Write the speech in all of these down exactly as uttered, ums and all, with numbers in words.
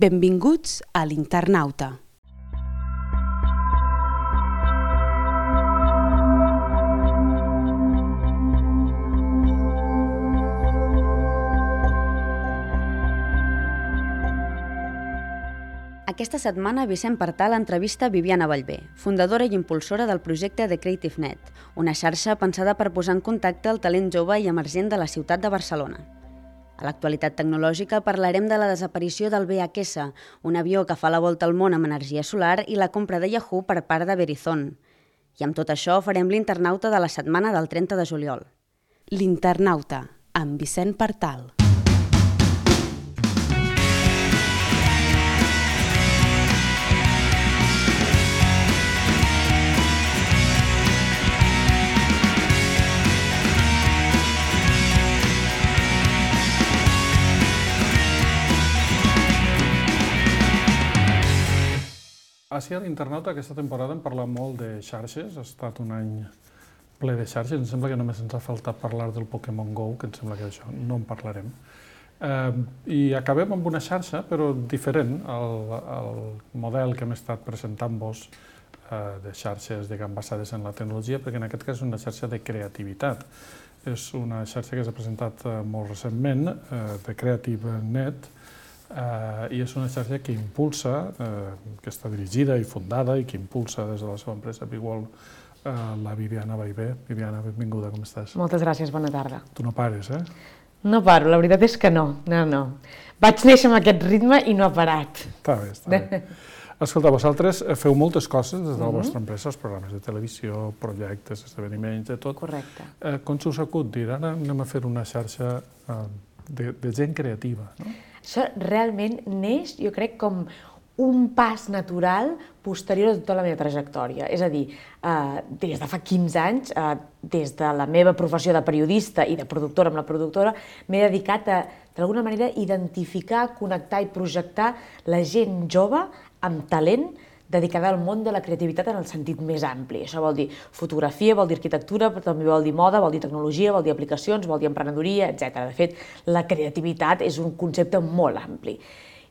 Benvinguts a l'Internauta. Aquesta setmana Vicent Partal entrevista Viviana Ballbé, fundadora i impulsora del projecte The Creative Net, una xarxa pensada per posar en contacte el talent jove i emergent de la ciutat de Barcelona. A l'actualitat tecnològica parlarem de la desaparició del V H S, un avió que fa la volta al món amb energia solar, i la compra de Yahoo per part de Verizon. I amb tot això farem l'Internauta de la setmana del trenta de juliol. L'Internauta, amb Vicent Partal. Així a l'Internauta aquesta temporada hem parlat molt de xarxes, ha estat un any ple de xarxes, em sembla que només ens ha faltat parlar del Pokémon Go, que em sembla que això no en parlarem. Eh, I acabem amb una xarxa, però diferent al, al model que hem estat presentant-vos eh, de xarxes diguem, basades en la tecnologia, perquè en aquest cas és una xarxa de creativitat. És una xarxa que s'ha presentat eh, molt recentment, eh, de Creative Net, Uh, i és una xarxa que impulsa, uh, que està dirigida i fundada i que impulsa des de la seva empresa Bigwall uh, la Viviana Ballbé. Viviana, benvinguda, com estàs? Moltes gràcies, bona tarda. Tu no pares, eh? No paro, la veritat és que no, no, no. Vaig néixer amb aquest ritme i no ha parat. Està bé, està bé. Escolta, vosaltres feu moltes coses des de la vostra empresa, els programes de televisió, projectes, esdeveniments, de tot. Correcte. Uh, com s'us acut dir, ara anem a fer una xarxa uh, de, de gent creativa, no? Això realment neix, jo crec, com un pas natural posterior a tota la meva trajectòria. És a dir, eh, des de fa quinze anys, eh, des de la meva professió de periodista i de productora amb la productora, m'he dedicat a, d'alguna manera, identificar, connectar i projectar la gent jove amb talent dedicada al món de la creativitat en el sentit més ampli. Això vol dir fotografia, vol dir arquitectura, però també vol dir moda, vol dir tecnologia, vol dir aplicacions, vol dir emprenedoria, etcètera. De fet, la creativitat és un concepte molt ampli.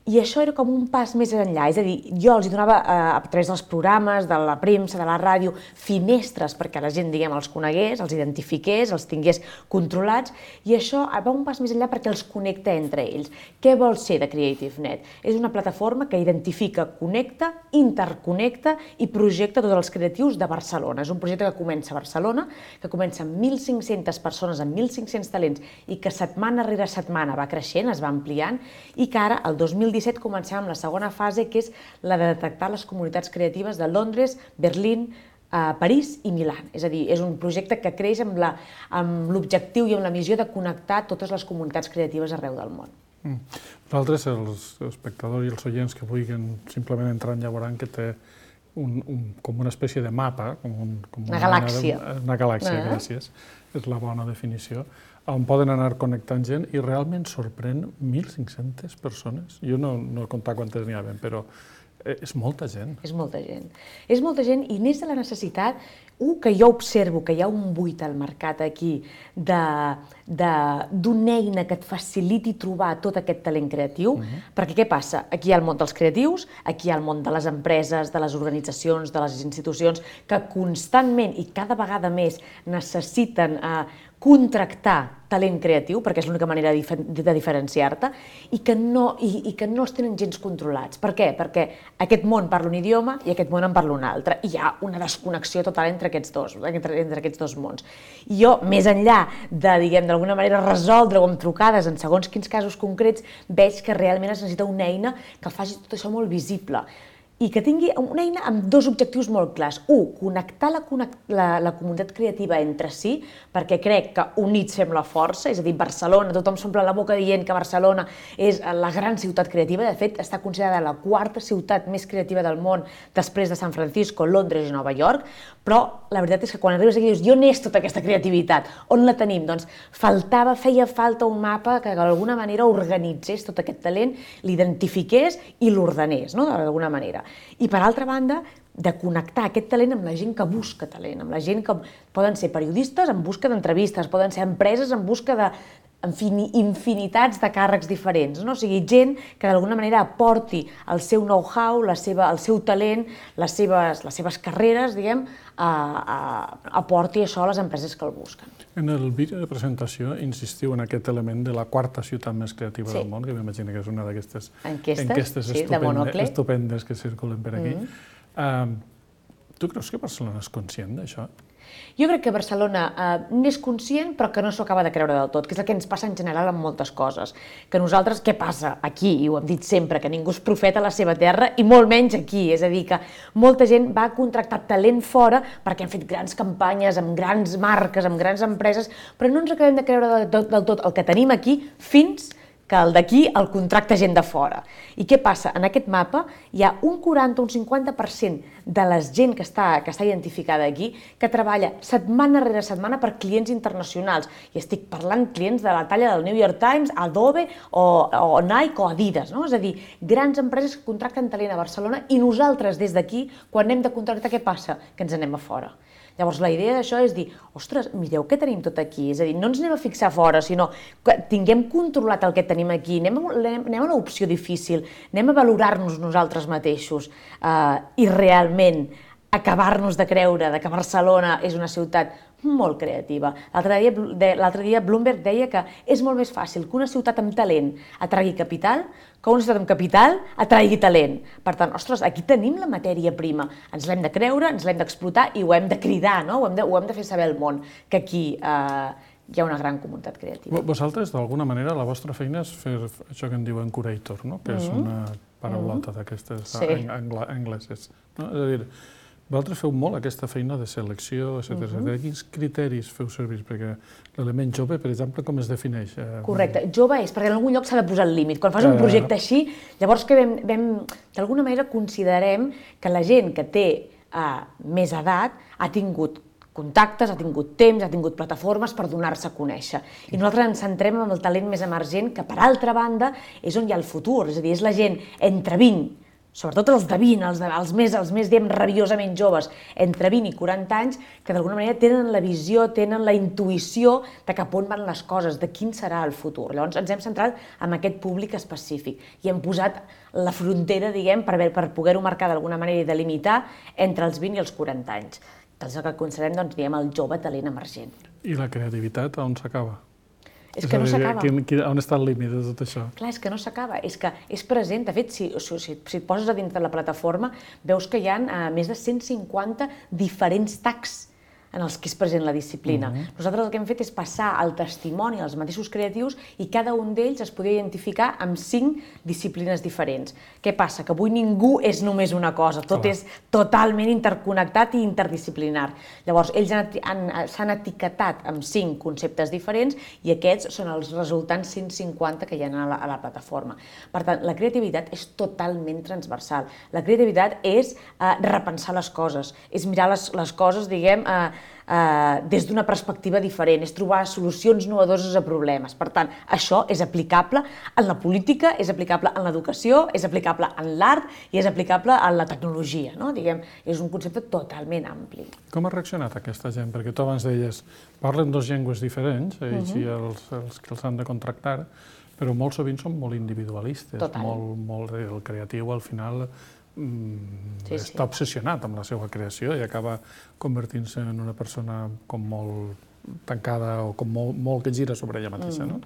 I això era com un pas més enllà, és a dir, jo els donava eh, a través dels programes, de la premsa, de la ràdio, finestres perquè la gent, diguem, els conegués, els identifiqués, els tingués controlats, i això va un pas més enllà perquè els connecta entre ells. Què vol ser de Creative Net? És una plataforma que identifica, connecta, interconnecta i projecta tots els creatius de Barcelona. És un projecte que comença a Barcelona, que comença amb mil cinc-centes persones, amb mil cinc-cents talents, i que setmana rere setmana va creixent, es va ampliant, i que ara, el dos mil disset, comencem amb la segona fase, que és la de detectar les comunitats creatives de Londres, Berlín, París i Milà. És a dir, és un projecte que creix amb l'objectiu i amb la missió de connectar totes les comunitats creatives arreu del món. Mm. Nosaltres, els espectadors i els oients que vulguin simplement entrar en veuran que té un, un, com una espècie de mapa, com un, com una, una galàxia. De, una galàxia, ah. gràcies. És la bona definició. On poden anar connectant gent i realment sorprèn mil cinc-centes persones. Jo no, no he comptat quantes n'hi ha ben, però és molta gent. És molta gent. És molta gent i neix de la necessitat, un, que jo observo que hi ha un buit al mercat aquí d'una eina que et faciliti trobar tot aquest talent creatiu, uh-huh. perquè què passa? Aquí hi ha el món dels creatius, aquí hi ha el món de les empreses, de les organitzacions, de les institucions, que constantment i cada vegada més necessiten eh, contractar talent creatiu, perquè és l'única manera de diferenciar-te, i, que no, i, i que no els tenen gens controlats. Per què? Perquè aquest món parla un idioma i aquest món en parla un altre. I hi ha una desconnexió total entre aquests dos, entre, entre aquests dos mons. I jo, més enllà de, diguem, d'alguna manera resoldre-ho amb trucades en segons quins casos concrets, veig que realment es necessita una eina que faci tot això molt visible. I que tingui una eina amb dos objectius molt clars. Un, connectar la, la, la comunitat creativa entre si, perquè crec que units fem la força, és a dir, Barcelona, tothom s'omple la boca dient que Barcelona és la gran ciutat creativa, de fet, està considerada la quarta ciutat més creativa del món després de San Francisco, Londres i Nova York, però la veritat és que quan arribes aquí dius, on és tota aquesta creativitat? On la tenim? Doncs faltava, feia falta un mapa que d'alguna manera organitzés tot aquest talent, l'identifiqués i l'ordenés, no? D'alguna manera. I per altra banda, de connectar aquest talent amb la gent que busca talent, amb la gent que poden ser periodistes en busca d'entrevistes, poden ser empreses en busca de en fi, infinitats de càrrecs diferents, no? O sigui, gent que d'alguna manera aporti el seu know-how, la seva, el seu talent, les seves, les seves carreres, diguem, a, a, aporti això a les empreses que el busquen. En el vídeo de presentació insistiu en aquest element de la quarta ciutat més creativa Sí. del món, que m'imagino que és una d'aquestes Enquestes, enquestes sí, de estupende, Monocle. estupendes que circulen per aquí. Mm-hmm. Uh, tu creus que Barcelona és conscient d'això? Jo crec que Barcelona eh, n'és conscient, però que no s'ho acaba de creure del tot, que és el que ens passa en general amb moltes coses. Que nosaltres, què passa aquí? I ho hem dit sempre, que ningú és profeta a la seva terra, i molt menys aquí. És a dir, que molta gent va contractar talent fora perquè han fet grans campanyes amb grans marques, amb grans empreses, però no ens acabem de creure del tot, del tot el que tenim aquí fins que el d'aquí el contracta gent de fora. I què passa? En aquest mapa hi ha un quaranta o un cinquanta per cent de la gent que està, que està identificada aquí que treballa setmana rere setmana per clients internacionals. I estic parlant clients de la talla del New York Times, Adobe o, o Nike o Adidas, no? És a dir, grans empreses que contracten talent a Barcelona i nosaltres des d'aquí, quan anem de contractar, què passa? Que ens anem a fora. Llavors, la idea d'això és dir, ostres, mireu què tenim tot aquí, és a dir, no ens anem a fixar fora, sinó que tinguem controlat el que tenim aquí, anem a, anem a l'opció difícil, anem a valorar-nos nosaltres mateixos eh, i realment acabar-nos de creure que Barcelona és una ciutat molt creativa. L'altre dia, l'altre dia Bloomberg deia que és molt més fàcil que una ciutat amb talent atraigui capital que una ciutat amb capital atraigui talent. Per tant, ostres, aquí tenim la matèria prima, ens l'hem de creure, ens l'hem d'explotar i ho hem de cridar, no? Ho hem de, ho hem de fer saber al món, que aquí eh, hi ha una gran comunitat creativa. Vosaltres, d'alguna manera, la vostra feina és fer això que en diuen curator, no? Que és una paraulota d'aquestes Sí. angleses. No? És a dir, vosaltres feu molt aquesta feina de selecció, etcètera. Uh-huh. Quins criteris feu servir? Perquè l'element jove, per exemple, com es defineix? Correcte. Jove és perquè en algun lloc s'ha de posar el límit. Quan fas un projecte així, llavors que vam, vam d'alguna manera considerem que la gent que té uh, més edat ha tingut contactes, ha tingut temps, ha tingut plataformes per donar-se a conèixer. I nosaltres ens centrem en el talent més emergent, que per altra banda és on hi ha el futur, és a dir, és la gent entre vint, sobretot els de vint, els, de, els més, els més diem, rabiosament joves, entre vint i quaranta anys, que d'alguna manera tenen la visió, tenen la intuïció de cap on van les coses, de quin serà el futur. Llavors ens hem centrat en aquest públic específic i hem posat la frontera, diguem, per, per poder-ho marcar d'alguna manera i delimitar entre els vint i els quaranta anys. Que és el que considerem, doncs, diguem, el jove talent emergent. I la creativitat, on s'acaba? És que no s'acaba. On està el límit de tot això? Clar, és que no s'acaba, és que és present. De fet, si, si, si et poses a dintre de la plataforma, veus que hi ha uh, més de cent cinquanta diferents tags en els que és present la disciplina. Uh-huh. Nosaltres el que hem fet és passar el testimoni als mateixos creatius i cada un d'ells es podia identificar amb cinc disciplines diferents. Què passa? Que avui ningú és només una cosa, tot és totalment interconnectat i interdisciplinar. Llavors, ells s'han etiquetat amb cinc conceptes diferents i aquests són els resultants cent cinquanta que hi ha a la, a la plataforma. Per tant, la creativitat és totalment transversal. La creativitat és eh, repensar les coses, és mirar les, les coses, diguem, eh, Uh, des d'una perspectiva diferent, és trobar solucions innovadores a problemes. Per tant, això és aplicable en la política, és aplicable en l'educació, és aplicable en l'art i és aplicable en la tecnologia, no? Diguem, és un concepte totalment ampli. Com ha reaccionat aquesta gent? Perquè tu abans deies, parlen dos llengües diferents, ells uh-huh. i els, els que els han de contractar, però molt sovint són molt individualistes, Total. molt, molt el creatiu al final Mm, sí, està sí. obsessionat amb la seva creació i acaba convertint-se en una persona com molt tancada o com molt, molt que gira sobre ella mateixa. Mm. No?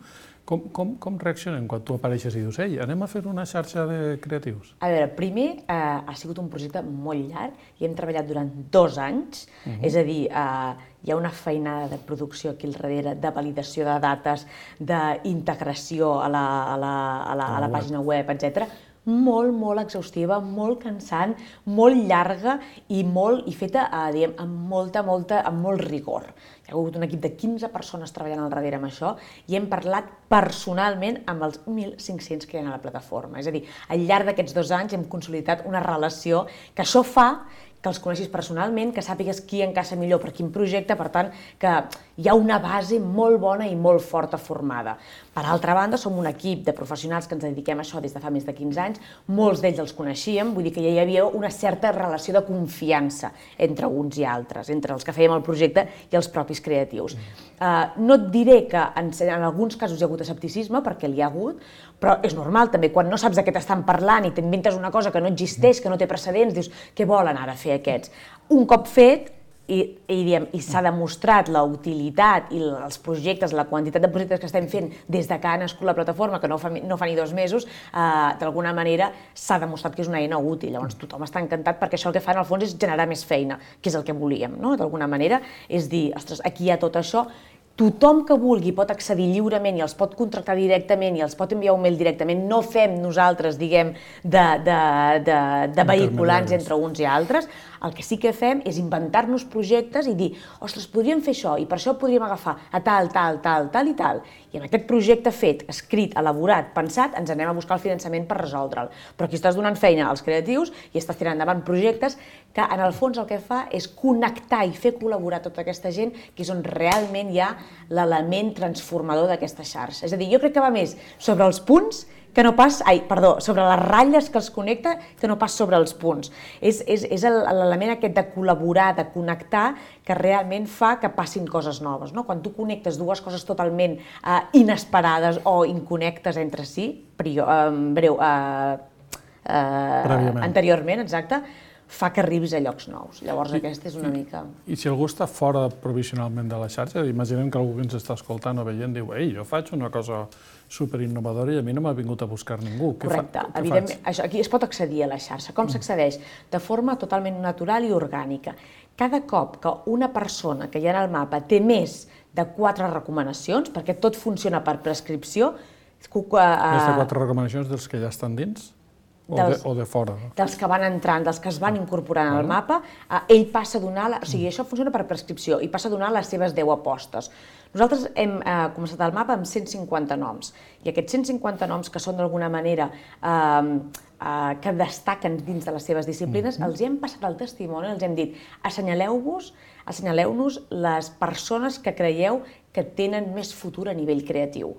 Com, com, com reaccionen quan tu apareixes i dius ei, anem a fer una xarxa de creatius? A veure, primer eh, ha sigut un projecte molt llarg i hem treballat durant dos anys, uh-huh. és a dir, eh, hi ha una feinada de producció aquí al darrere, de validació de dates, d'integració a la, a la, a la, a la pàgina web, etcètera, molt, molt exhaustiva, molt cansant, molt llarga i, molt, i feta eh, diguem, amb, molta, molta, amb molt rigor. Hi ha hagut un equip de quinze persones treballant al darrere amb això i hem parlat personalment amb els mil cinc-cents que hi ha a la plataforma. És a dir, al llarg d'aquests dos anys hem consolidat una relació que això fa que els coneixis personalment, que sàpigues qui encaixa millor per quin projecte, per tant, que hi ha una base molt bona i molt forta formada. Per altra banda, som un equip de professionals que ens dediquem a això des de fa més de quinze anys, molts d'ells els coneixíem, vull dir que ja hi havia una certa relació de confiança entre uns i altres, entre els que fèiem el projecte i els propis creatius. Uh, no et diré que en, en alguns casos hi ha hagut escepticisme, perquè l'hi ha hagut, però és normal també, quan no saps de què t'estan parlant i t'inventes una cosa que no existeix, que no té precedents, dius, què volen ara fer aquests? Un cop fet, i, i, diem, i s'ha demostrat la utilitat i els projectes, la quantitat de projectes que estem fent des de que ha nascut la plataforma, que no fa, no fa ni dos mesos, eh, d'alguna manera s'ha demostrat que és una eina útil. Llavors tothom està encantat perquè això el que fa en el fons és generar més feina, que és el que volíem, no? D'alguna manera, és dir, ostres, aquí hi ha tot això, tothom que vulgui pot accedir lliurement i els pot contractar directament i els pot enviar un mail directament. No fem nosaltres, diguem, de, de, de, de vehiculants entre uns i altres. El que sí que fem és inventar-nos projectes i dir, ostres, podríem fer això i per això podríem agafar a tal, tal, tal, tal i tal. I en aquest projecte fet, escrit, elaborat, pensat, ens anem a buscar el finançament per resoldre'l. Però aquí estàs donant feina als creatius i estàs tirant endavant projectes que en el fons el que fa és connectar i fer col·laborar tota aquesta gent, que és on realment hi ha l'element transformador d'aquesta xarxa. És a dir, jo crec que va més sobre els punts que no pas, ai, perdó, sobre les ratlles que els connecta que no pas sobre els punts. És, és, és l'element aquest de col·laborar, de connectar, que realment fa que passin coses noves. No? Quan tu connectes dues coses totalment eh, inesperades o inconnectes entre si, prio, eh, breu, eh, eh, anteriorment, exacte, fa que arribis a llocs nous. Llavors I, aquesta és una mica... I si algú està fora provisionalment de la xarxa, imaginem que algú que ens està escoltant o veient diu, ei, jo faig una cosa superinnovadora i a mi no m'ha vingut a buscar ningú. Correcte. Què fa, què Evidentment, això, aquí es pot accedir a la xarxa. Com s'accedeix? De forma totalment natural i orgànica. Cada cop que una persona que hi ha en el mapa té més de quatre recomanacions, perquè tot funciona per prescripció... Més de quatre recomanacions dels que ja estan dins? O, dels, de, o de fora? Dels que van entrant, dels que es van incorporant al mapa, eh, ell passa a donar, la, o sigui, això funciona per prescripció, i passa a donar les seves deu apostes. Nosaltres hem eh, començat el mapa amb cent cinquanta noms, i aquests cent cinquanta noms que són d'alguna manera eh, eh, que destaquen dins de les seves disciplines, mm-hmm. els hem passat al testimoni, els hem dit, assenyaleu-vos, assenyaleu-nos les persones que creieu que tenen més futur a nivell creatiu.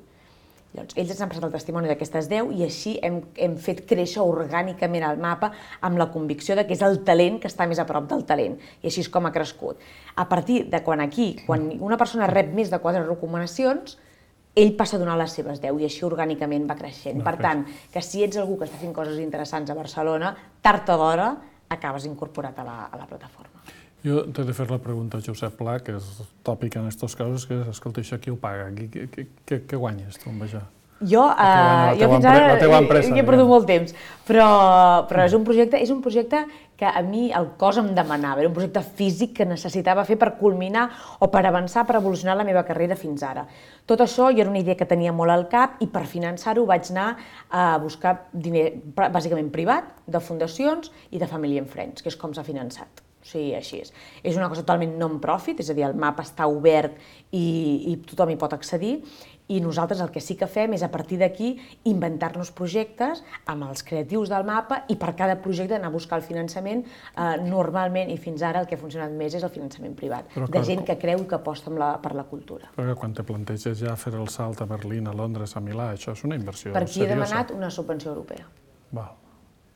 Llavors, ells ens han passat el testimoni d'aquestes deu i així hem, hem fet créixer orgànicament el mapa amb la convicció de que és el talent que està més a prop del talent. I així és com ha crescut. A partir de quan aquí, quan una persona rep més de quatre recomanacions, ell passa a donar les seves deu i així orgànicament va creixent. No, per tant, que si ets algú que està fent coses interessants a Barcelona, tard o d'hora acabes incorporat a la, a la plataforma. Jo t'he de fer la pregunta a Josep Pla, que és tòpic en aquests casos, que és, escolta, això qui ho paga? Què, què, què, què guanyes tu amb això? Jo, uh, jo fins ara empresa, he perdut molt temps, però, però és un projecte és un projecte que a mi el cos em demanava, era un projecte físic que necessitava fer per culminar o per avançar, per evolucionar la meva carrera fins ara. Tot això jo era una idea que tenia molt al cap i per finançar-ho vaig anar a buscar diner bàsicament privat, de fundacions i de Family and Friends, que és com s'ha finançat. O sigui, així és. És una cosa totalment non-profit, és a dir, el mapa està obert i, i tothom hi pot accedir, i nosaltres el que sí que fem és a partir d'aquí inventar-nos projectes amb els creatius del mapa i per cada projecte anar a buscar el finançament. Eh, normalment, i fins ara, el que ha funcionat més és el finançament privat, però, de gent que creu que aposta la, per la cultura. Però quan te planteges ja fer el salt a Berlín, a Londres, a Milà, això és una inversió seriosa. Per aquí he demanat una subvenció europea. Val.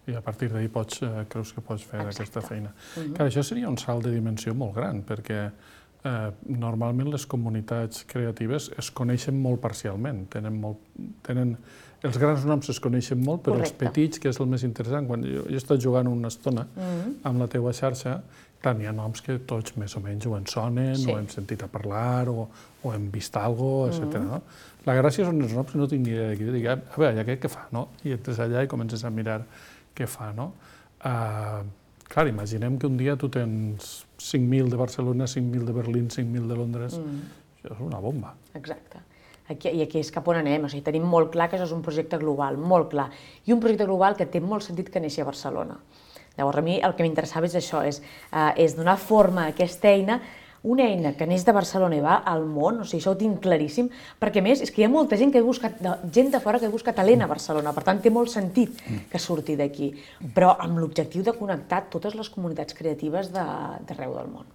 I a partir d'ahir pots, eh, creus que pots fer Exacte. aquesta feina. Uh-huh. Clar, això seria un salt de dimensió molt gran, perquè eh, normalment les comunitats creatives es coneixen molt parcialment. Tenen molt, tenen, els grans noms es coneixen molt, però Correcte. Els petits, que és el més interessant, quan jo, jo he estat jugant una estona uh-huh. amb la teua xarxa, clar, hi ha noms que tots més o menys ho en sonen, sí. o hem sentit a parlar, o, o hem vist alguna cosa, etcètera. Uh-huh. No? La gràcia són els noms que no tinc ni idea de què. Dic, a veure, ja aquest què fa, no? I entres allà i comences a mirar què fa, no? Uh, clar, imaginem que un dia tu tens cinc mil de Barcelona, cinc mil de Berlín, cinc mil de Londres. Mm. Això és una bomba. Exacte. Aquí, I aquí és cap on anem. O sigui, tenim molt clar que això és un projecte global, molt clar. I un projecte global que té molt sentit que neixi a Barcelona. Llavors, a mi el que m'interessava és això, és, uh, és donar forma a aquesta eina una eina que neix de Barcelona i va al món, o sigui, això ho tinc claríssim, perquè a més és que hi ha molta gent que ha buscat, gent de fora que ha buscat talent a Barcelona, per tant té molt sentit que surti d'aquí, però amb l'objectiu de connectar totes les comunitats creatives d'arreu del món.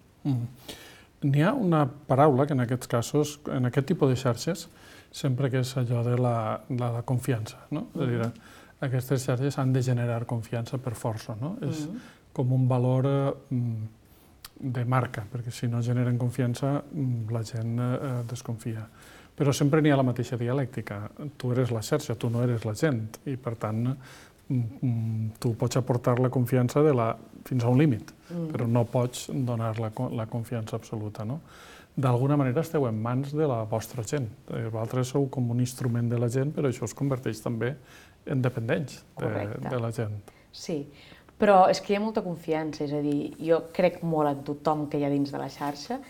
N'hi ha una paraula que en aquests casos, en aquest tipus de xarxes, sempre que és allò de la, de la confiança, no? És a dir, aquestes xarxes han de generar confiança per força, no? És com un valor de marca, perquè si no generen confiança la gent desconfia. Però sempre n'hi ha la mateixa dialèctica. Tu eres la xarxa, tu no eres la gent, i per tant tu pots aportar la confiança fins a un límit, però no pots donar la confiança absoluta. D'alguna manera esteu en mans de la vostra gent. Vosaltres sou com un instrument de la gent, però això es converteix també en dependents de la gent. Sí. Però és que hi ha molta confiança, és a dir, jo crec molt en tothom que hi ha dins de la xarxa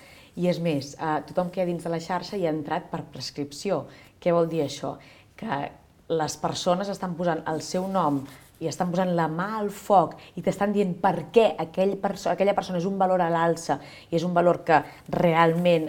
i és més, tothom que hi ha dins de la xarxa hi ha entrat per prescripció. Què vol dir això? Que les persones estan posant el seu nom i estan posant la mà al foc i t'estan dient per què aquella persona és un valor a l'alça i és un valor que realment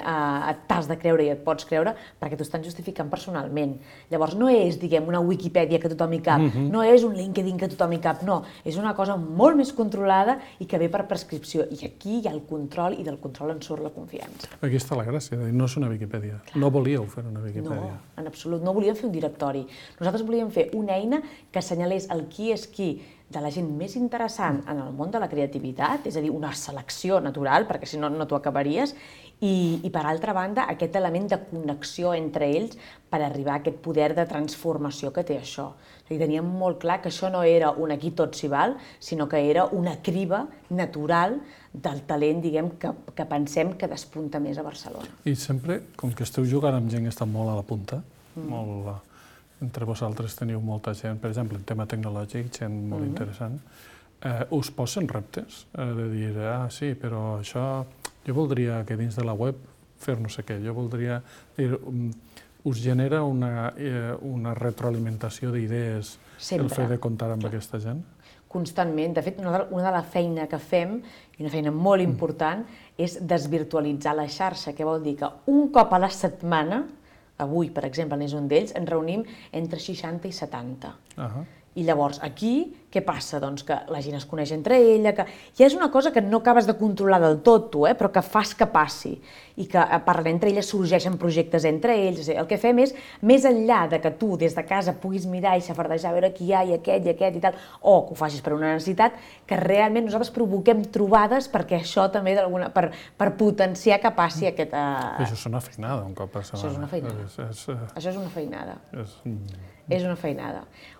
t'has de creure i et pots creure perquè t'ho estan justificant personalment. Llavors no és, diguem, una Wikipedia que tothom hi cap, no és un LinkedIn que tothom hi cap, no, és una cosa molt més controlada i que ve per prescripció. I aquí hi ha el control i del control en surt la confiança. Aquí està la gràcia, no és una Wikipedia. No volíeu fer una Wikipedia. No, en absolut, no volíem fer un directori. Nosaltres volíem fer una eina que assenyalés el qui és qui de la gent més interessant en el món de la creativitat, és a dir, una selecció natural, perquè si no, no t'ho acabaries, i, i per altra banda, aquest element de connexió entre ells per arribar a aquest poder de transformació que té això. O sigui, teníem molt clar que això no era un aquí tot s'hi val, sinó que era una criba natural del talent, diguem, que, que pensem que despunta més a Barcelona. I sempre, com que esteu jugant amb gent que està molt a la punta, mm. molt... Entre vosaltres teniu molta gent, per exemple, en tema tecnològic, gent molt interessant, us posen reptes de dir, ah, sí, però això, jo voldria que dins de la web fer no sé què, jo voldria dir, us genera una retroalimentació d'idees el fet de comptar amb aquesta gent? Constantment. De fet, una de la feina que fem, i una feina molt important, és desvirtualitzar la xarxa, que vol dir que un cop a la setmana, avui, per exemple, n'és un d'ells, ens reunim entre seixanta i setanta. I llavors, aquí, què passa? Doncs que la gent es coneix entre ella, que ja és una cosa que no acabes de controlar del tot, tu, eh? Però que fas que passi, i que parlant entre elles sorgeixen projectes entre ells. El que fem és, més enllà de que tu des de casa puguis mirar i xafardejar, a veure qui hi ha, i aquest, i aquest, i tal, o que ho facis per una necessitat, que realment nosaltres provoquem trobades perquè això també, per, per potenciar que passi aquest... Uh... Això és una feinada, un cop per setmana. Això és una feinada. És, és, uh... Això és una feinada. És... És una feinada.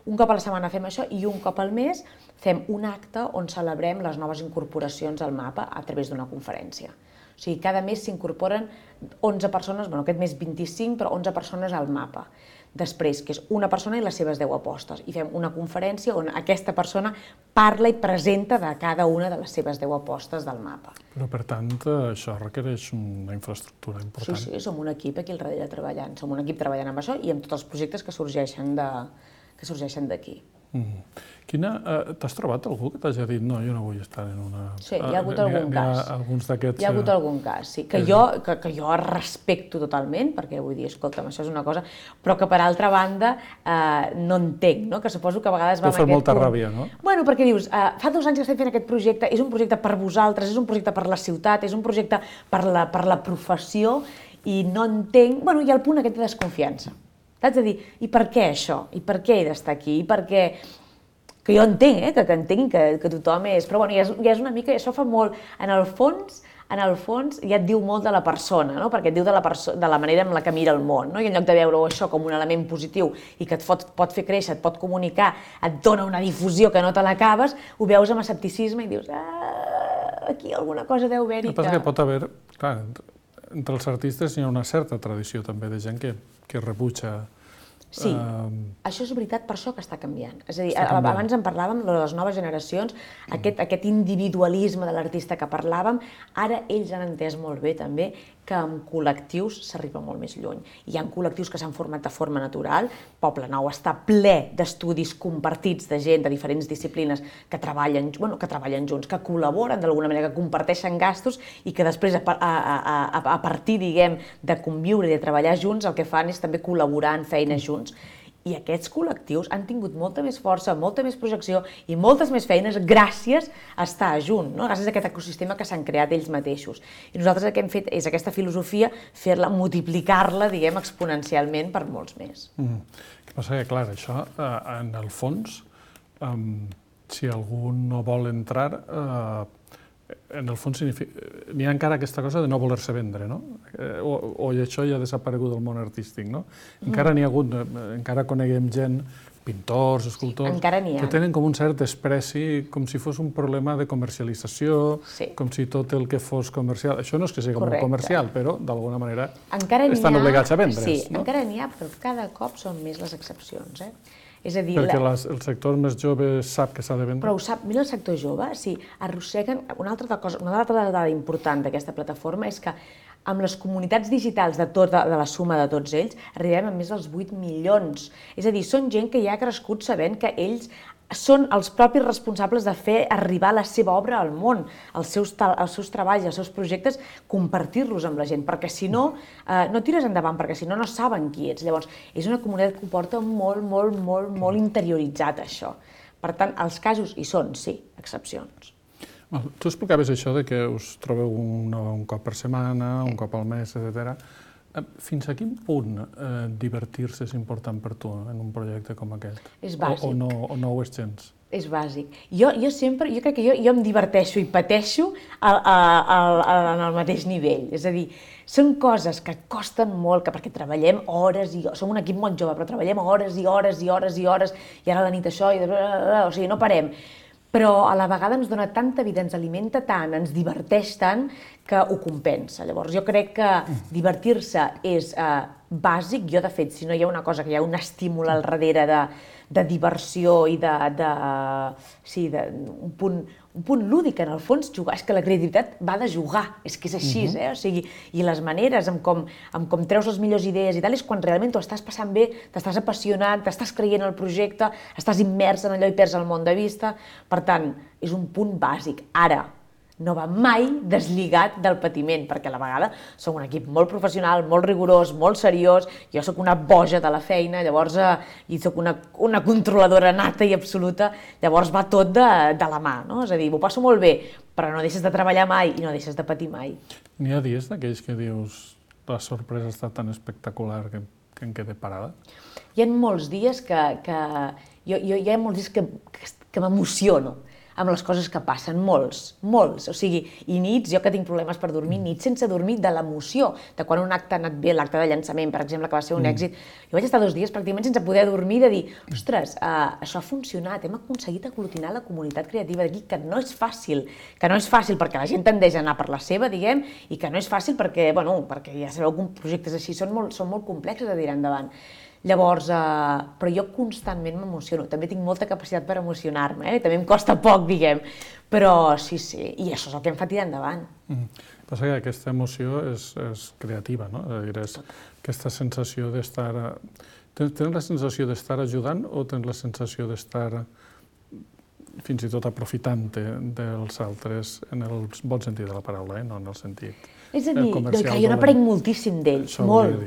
Un cop a la setmana fem això i un cop al mes fem un acte on celebrem les noves incorporacions al mapa a través d'una conferència. O sigui, cada mes s'incorporen onze persones, bueno, aquest mes vint-i-cinc, però onze persones al mapa. Després, que és una persona i les seves deu apostes. I fem una conferència on aquesta persona parla i presenta de cada una de les seves deu apostes del mapa. Però, per tant, això requereix una infraestructura important. Sí, sí, som un equip aquí al darrere treballant. Som un equip treballant amb això i amb tots els projectes que sorgeixen de, que sorgeixen d'aquí. Mm. Quina, eh, t'has trobat algú que t'hagi dit no, jo no vull estar en una... Sí, hi ha hagut algun cas. Alguns d'aquests... Hi ha hagut algun cas, sí, que jo, que, que jo respecto totalment, perquè vull dir, escolta'm, això és una cosa, però que per altra banda eh, no entenc, no? Que suposo que a vegades va amb aquest punt. T'ho fa molta ràbia, no? Bueno, perquè dius, eh, fa dos anys que estem fent aquest projecte, és un projecte per vosaltres, és un projecte per la ciutat, és un projecte per la, per la professió, i no entenc... Bueno, hi ha el punt aquest de desconfiança. Saps? A dir, i per què això? I per què he d'estar aquí? I per què... Que jo entenc, eh? que, que entenc que, que tothom és... Però bueno, ja és, ja és una mica... Això fa molt... En el fons, en el fons ja et diu molt de la persona, no? Perquè et diu de la, de la manera en la que mira el món, no? I en lloc de veure això com un element positiu i que et pot, pot fer créixer, et pot comunicar, et dona una difusió que no te l'acabes, ho veus amb escepticisme i dius, ah, aquí alguna cosa deu haver-hi. El que passa que pot haver... Clar, entre els artistes hi ha una certa tradició també de gent que, que rebutja Sí, Um, això és veritat, per això que està canviant. És a dir, Està canviant. abans en parlàvem, de les noves generacions, aquest, aquest individualisme de l'artista que parlàvem, ara ells han entès molt bé també que amb col·lectius s'arriba molt més lluny. Hi ha col·lectius que s'han format de forma natural, Poble Nou està ple d'estudis compartits de gent de diferents disciplines que treballen, bueno, que treballen junts, que col·laboren d'alguna manera, que comparteixen gastos i que després, a, a, a, a partir, diguem, de conviure i de treballar junts, el que fan és també col·laborar en feines junts. I aquests col·lectius han tingut molta més força, molta més projecció i moltes més feines gràcies a estar junt, no? Gràcies a aquest ecosistema que s'han creat ells mateixos. I nosaltres el que hem fet és aquesta filosofia, fer-la, multiplicar-la, diguem, exponencialment per molts més. Mm. El que passa que, clar, això, eh, en el fons, eh, si algú no vol entrar, eh, en el fons n'hi ha encara aquesta cosa de no voler-se vendre, no? Eh, o, o això ja ha desaparegut del món artístic, no? Encara n'hi ha hagut, encara coneguem gent, pintors, escultors, encara n'hi ha. que tenen com un cert despreci, com si fos un problema de comercialització, Sí. com si tot el que fos comercial... Això no és que sigui Correcte. molt comercial, però d'alguna manera Encara n'hi estan ha- obligats a vendre's, Sí, no? encara n'hi ha, però cada cop són més les excepcions, eh? És a dir, Perquè la- les, el sector més jove sap que s'ha de vendre. Però ho sap, mira el sector jove, sí, arrosseguen... Una altra cosa, una altra dada important d'aquesta plataforma és que amb les comunitats digitals de, tota, de la suma de tots ells arribem a més dels vuit milions. És a dir, són gent que ja ha crescut sabent que ells són els propis responsables de fer arribar la seva obra al món, els seus, els seus treballs, els seus projectes, compartir-los amb la gent, perquè si no, eh, no tires endavant, perquè si no, no saben qui ets. Llavors, és una comunitat que ho porta molt, molt, molt, molt interioritzat, això. Per tant, els casos hi són, sí, excepcions. Val, tu explicaves això de que us trobeu un, un cop per setmana, un cop al mes, etcètera. Fins a quin punt eh, divertir-se és important per tu en un projecte com aquest? És bàsic. O, o, no, o no ho és gens? És bàsic. Jo, jo sempre, jo crec que jo, jo em diverteixo i pateixo a, a, a, a, en el mateix nivell. És a dir, són coses que costen molt, que perquè treballem hores i hores, som un equip molt jove, però treballem hores i hores i hores i hores, i ara a la nit això, i... o sigui, no parem. Però a la vegada ens dona tanta vida, ens alimenta tant, ens diverteix tant, que ho compensa. Llavors, jo crec que divertir-se és eh, bàsic. Jo, de fet, si no hi ha una cosa, que hi ha un estímul al darrere de, de diversió i de, de, sí, de un, punt, un punt lúdic, en el fons, jugar. És que la creativitat va de jugar, és que és així, uh-huh. eh? O sigui, i les maneres amb com, amb com treus les millors idees i tal, és quan realment t'ho estàs passant bé, t'estàs apassionant, t'estàs creient el projecte, estàs immers en allò i perds el món de vista. Per tant, és un punt bàsic. Ara, no va mai desligat del patiment, perquè a la vegada som un equip molt professional, molt rigorós, molt seriós, jo sóc una boja de la feina, llavors eh, i sóc una, una controladora nata i absoluta, llavors va tot de, de la mà, no? És a dir, m'ho passo molt bé, però no deixes de treballar mai i no deixes de patir mai. N'hi ha dies d'aquells que dius la sorpresa ha estat tan espectacular que, que em quede parada? Hi ha molts dies que... que jo, jo, hi ha molts dies que, que, que m'emociono amb les coses que passen, molts, molts. O sigui, i nits, jo que tinc problemes per dormir, nits sense dormir de l'emoció, de quan un acte ha anat bé, l'acte de llançament, per exemple, que va ser un mm. èxit. Jo vaig estar dos dies pràcticament sense poder dormir, de dir, ostres, uh, això ha funcionat, hem aconseguit aglutinar la comunitat creativa d'aquí, que no és fàcil, que no és fàcil perquè la gent tendeix a anar per la seva, diguem, i que no és fàcil perquè, bueno, perquè ja sabeu que projectes així són molt, són molt complexos de tirar endavant. Llavors, eh, però jo constantment m'emociono, també tinc molta capacitat per emocionar-me, eh? També em costa poc, diguem, però sí, sí, i això és el que em fa tirar endavant. Mm. Passa que aquesta emoció és, és creativa, no? És a dir, és aquesta sensació d'estar... Tens, tens la sensació d'estar ajudant o tens la sensació d'estar fins i tot aprofitant dels altres en el bon sentit de la paraula, eh? No en el sentit... És a dir, que jo n'aprenc moltíssim d'ells, molt,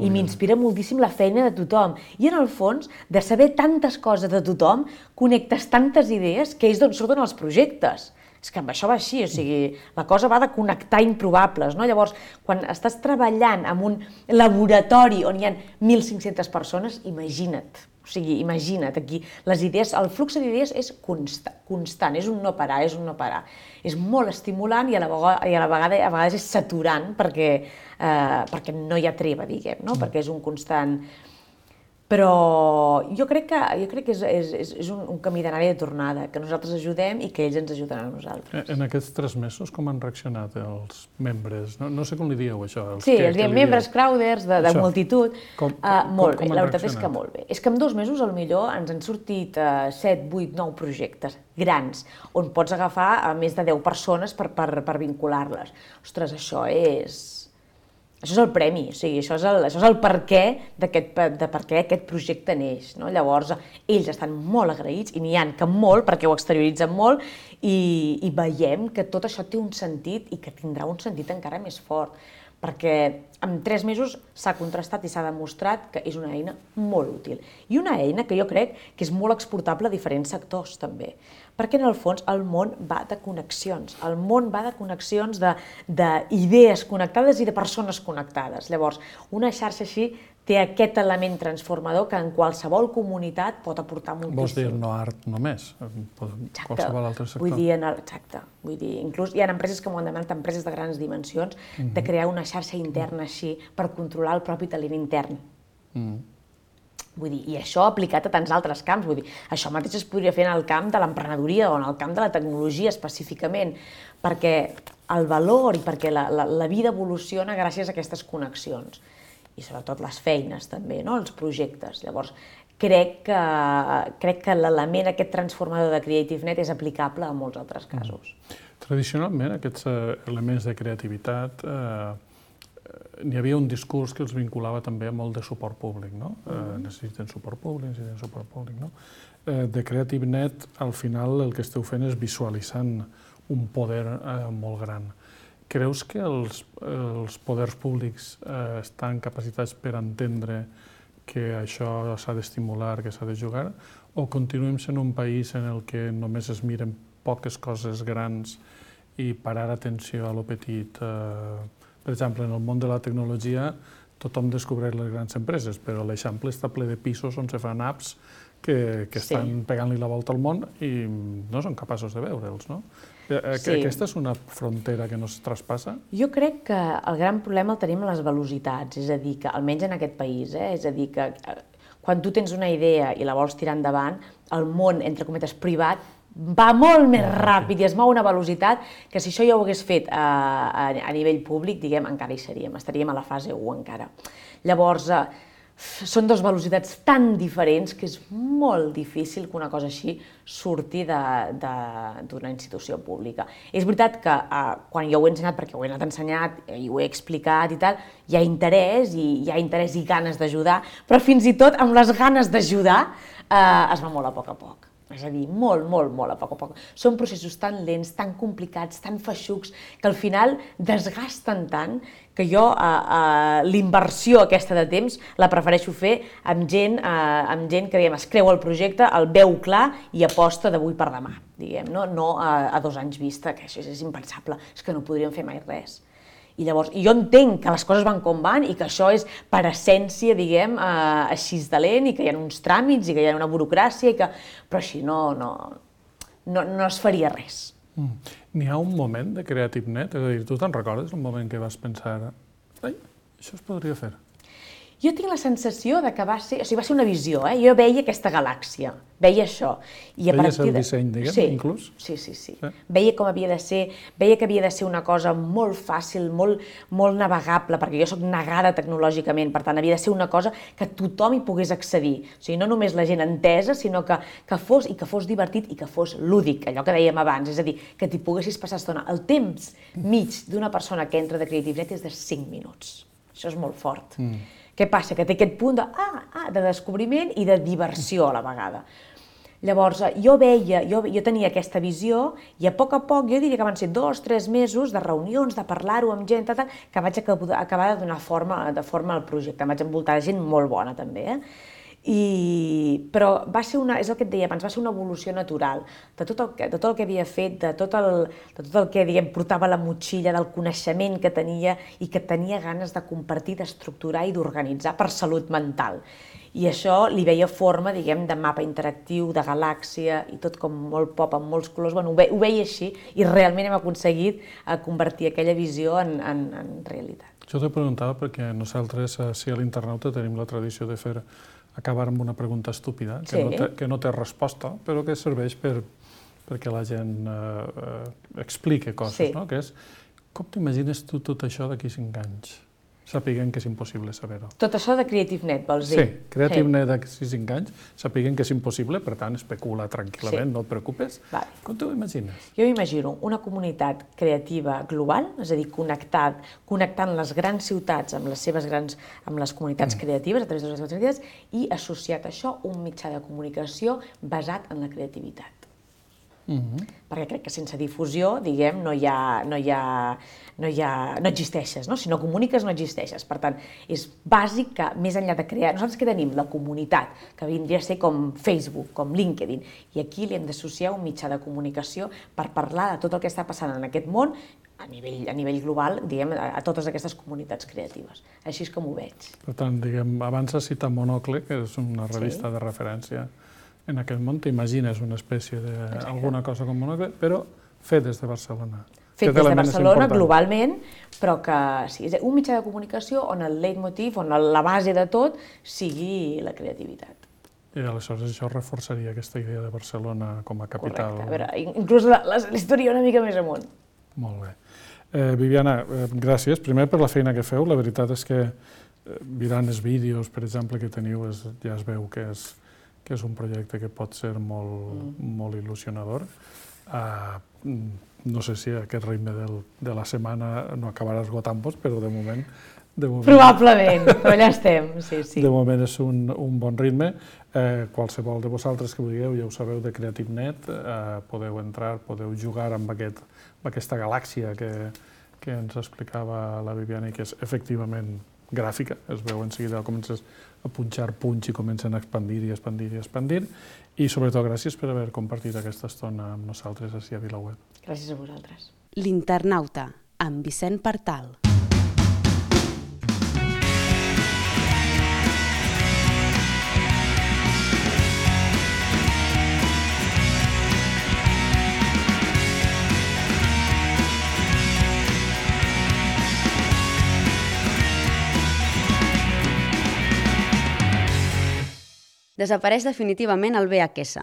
i m'inspira moltíssim la feina de tothom. I en el fons, de saber tantes coses de tothom, connectes tantes idees que ells d'on surten els projectes. És que amb això va així, o sigui, la cosa va de connectar improbables, no? Llavors, quan estàs treballant en un laboratori on hi ha mil cinc-centes persones, imagina't. O sigui, imagina't, aquí les idees, el flux d'idees és constant, constant, és un no parar, és un no parar. És molt estimulant i a la vegada, i a la vegada a vegades és saturant perquè, eh, perquè no hi ha treva, diguem, no? Mm. Perquè és un constant... Però jo crec que, jo crec que és, és, és un, un camí d'anada i de tornada, que nosaltres ajudem i que ells ens ajuden a nosaltres. En aquests tres mesos com han reaccionat els membres? No, no sé com li dieu això. Els sí, que, els diem membres, crowders, de, de això. multitud. Com, uh, molt com, com bé, la veritat és que molt bé. És que en dos mesos, potser ens han sortit uh, set, vuit, nou projectes grans, on pots agafar a més de deu persones per, per, per vincular-les. Ostres, això és... Això és el premi, o sigui, això és el, això és el per què d'aquest, de per què aquest projecte neix, no? Llavors, ells estan molt agraïts, i n'hi ha que molt, perquè ho exterioritzen molt, i, i veiem que tot això té un sentit i que tindrà un sentit encara més fort, perquè en tres mesos s'ha contrastat i s'ha demostrat que és una eina molt útil. I una eina que jo crec que és molt exportable a diferents sectors, també. Perquè, en el fons, el món va de connexions. El món va de connexions, d'idees connectades i de persones connectades. Llavors, una xarxa així té aquest element transformador que en qualsevol comunitat pot aportar moltíssim. Vols dir no art només? Qualsevol altre sector? Vull dir, exacte. Vull dir, inclús hi ha empreses que m'ho han demanat, empreses de grans dimensions, de crear una xarxa interna així per controlar el propi talent intern. Vull dir, i això aplicat a tants altres camps. Vull dir, això mateix es podria fer en el camp de l'emprenedoria o en el camp de la tecnologia específicament, perquè el valor i perquè la, la, la vida evoluciona gràcies a aquestes connexions. I sobretot les feines també, no? Els projectes. Llavors, crec que, crec que l'element aquest transformador de CreativeNet és aplicable a molts altres casos. Tradicionalment, aquests elements de creativitat, n'hi havia un discurs que els vinculava també a molt de suport públic, no? Necessiten suport públic, necessiten suport públic, no? De CreativeNet, al final, el que esteu fent és visualitzant un poder molt gran. Creus que els, els poders públics eh, estan capacitats per entendre que això s'ha d'estimular, que s'ha de jugar, o continuem sent un país en el que només es miren poques coses grans i parar atenció a lo petit? Eh, per exemple, en el món de la tecnologia tothom descobreix les grans empreses, però l'Eixample està ple de pisos on se fan apps que, que estan sí. pegant-li la volta al món i no són capaços de veure'ls, no? Sí. Aquesta és una frontera que no es traspassa? Jo crec que el gran problema el tenim a les velocitats, és a dir, que almenys en aquest país, eh, és a dir, que quan tu tens una idea i la vols tirar endavant, el món, entre cometes, privat, va molt més ràpid i es mou a una velocitat que si això ja ho hagués fet a, a, a nivell públic, diguem, encara hi seríem, estaríem a la fase u encara. Llavors, són dues velocitats tan diferents que és molt difícil que una cosa així surti d'una institució pública. És veritat que eh, quan jo ho he ensenyat, perquè ho he anat ensenyat i ho he explicat i tal, hi ha interès i hi ha interès i ganes d'ajudar, però fins i tot amb les ganes d'ajudar eh, es va molt a poc a poc. És a dir, molt, molt, molt a poc a poc. Són processos tan lents, tan complicats, tan feixucs, que al final desgasten tant que jo eh, eh, l'inversió aquesta de temps la prefereixo fer amb gent, eh, amb gent que diguem, es creu el projecte, el veu clar i aposta d'avui per demà, diguem, no, no a, a dos anys vista, que això és impensable, és que no podríem fer mai res. I llavors, jo entenc que les coses van com van i que això és per essència, diguem, eh, així de lent i que hi ha uns tràmits i que hi ha una burocràcia, i que... però així no, no, no, no es faria res. Mm. N'hi ha un moment de CreativeNet? És a dir, tu te'n recordes un moment que vas pensar ai, això es podria fer? Jo tinc la sensació de que va ser, o sigui, va ser una visió, eh? Jo veia aquesta galàxia, veia això. I a Veies partir el disseny, diguem, sí, inclús? Sí, sí, sí, sí. Veia com havia de ser, veia que havia de ser una cosa molt fàcil, molt, molt navegable, perquè jo soc negada tecnològicament, per tant, havia de ser una cosa que tothom hi pogués accedir. O sigui, no només la gent entesa, sinó que, que fos, i que fos divertit i que fos lúdic, allò que dèiem abans, és a dir, que t'hi poguessis passar estona. El temps mig d'una persona que entra de CreativeNet és de cinc minuts. Això és molt fort. Mm. Què passa? Que té aquest punt de, ah, ah, de descobriment i de diversió a la vegada. Llavors, jo veia, jo, jo tenia aquesta visió i a poc a poc, jo diria que van ser dos, tres mesos de reunions, de parlar-ho amb gent, tal, tal, que vaig acabar de donar forma, de forma al projecte. Em vaig envoltar de gent molt bona, també, eh? I... però va ser una, és el que et deia abans, va ser una evolució natural de tot el que, de tot el que havia fet, de tot el, de tot el que diguem, portava a la motxilla, del coneixement que tenia i que tenia ganes de compartir, d'estructurar i d'organitzar per salut mental. I això li veia forma, diguem, de mapa interactiu, de galàxia i tot com molt pop, amb molts colors. Bueno, ho, ve, ho veia així i realment hem aconseguit convertir aquella visió en, en, en realitat. Jo t'ho preguntava perquè nosaltres, si a l'Internauta, tenim la tradició de fer acabar amb una pregunta estúpida, que, Sí. no, té, que no té resposta, però que serveix per, perquè la gent eh, eh, explique coses, Sí. no? Que és, com t'imagines tu tot això d'aquí cinc anys? Sapiguem que és impossible saber-ho. Tot això de CreativeNet, vols dir? Sí, CreativeNet d'aquí cinc anys, sapiguem que és impossible, per tant, especula tranquil·lament, Sí. no et preocupes. Vale. Com t'ho imagines? Jo m'imagino una comunitat creativa global, és a dir, connectat, connectant les grans ciutats amb les seves grans, amb les comunitats creatives, a través de les grans creatives, i associat a això un mitjà de comunicació basat en la creativitat. Mm-hmm. Perquè crec que sense difusió, diguem, no hi ha, no hi ha, no hi ha, no existeixes, no? Si no comuniques, no existeixes. Per tant, és bàsic que, més enllà de crear... Nosaltres que tenim la comunitat, que vindria a ser com Facebook, com LinkedIn, i aquí li hem d'associar un mitjà de comunicació per parlar de tot el que està passant en aquest món a nivell, a nivell global, diguem, a, a totes aquestes comunitats creatives. Així és com ho veig. Per tant, diguem, abans has citat Monocle, que és una revista Sí. de referència en aquest món, t'imagines una espècie d'alguna cosa com Monocle, però fet des de Barcelona. Fet Aquest des de element és Barcelona, important. globalment, però que sí, és un mitjà de comunicació on el leitmotiv, on la base de tot, sigui la creativitat. I aleshores això reforçaria aquesta idea de Barcelona com a capital. Correcte. A veure, inclús la, la, la història una mica més amunt. Molt bé. Eh, Viviana, eh, gràcies. Primer per la feina que feu. La veritat és que eh, mirant els vídeos, per exemple, que teniu, és, ja es veu que és, que és un projecte que pot ser molt, mm. molt il·lusionador. Uh, no sé si aquest ritme del, de la setmana no acabarà esgotant-vos, però de moment... De moment Probablement, però allà estem, sí, sí. De moment és un, un bon ritme. Eh, qualsevol de vosaltres que vulgueu, ja ho sabeu, de CreativeNet, eh, podeu entrar, podeu jugar amb, aquest, amb aquesta galàxia que, que ens explicava la Viviana i que és efectivament gràfica. Es veu en seguida, comences a punxar punys i comencen a expandir i expandir i expandir. I sobretot gràcies per haver compartit aquesta estona amb nosaltres ací a VilaWeb. Gràcies a vosaltres. L'Internauta, amb Vicent Partal. Desapareix definitivament el V H S.